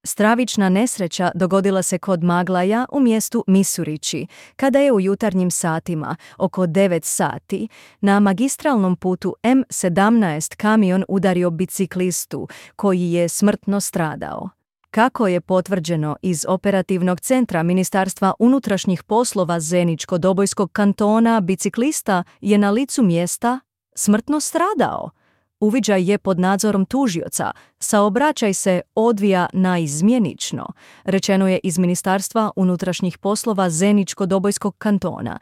Stravična nesreća dogodila se kod Maglaja u mjestu Misurići, kada je u jutarnjim satima, oko 9 sati, na magistralnom putu M17 kamion udario biciklistu, koji je smrtno stradao. Kako je potvrđeno iz operativnog centra Ministarstva unutrašnjih poslova Zeničko-Dobojskog kantona, biciklista je na licu mjesta smrtno stradao. Uviđaj je pod nadzorom tužioca, saobraćaj se odvija naizmjenično, rečeno je iz Ministarstva unutrašnjih poslova Zeničko-Dobojskog kantona.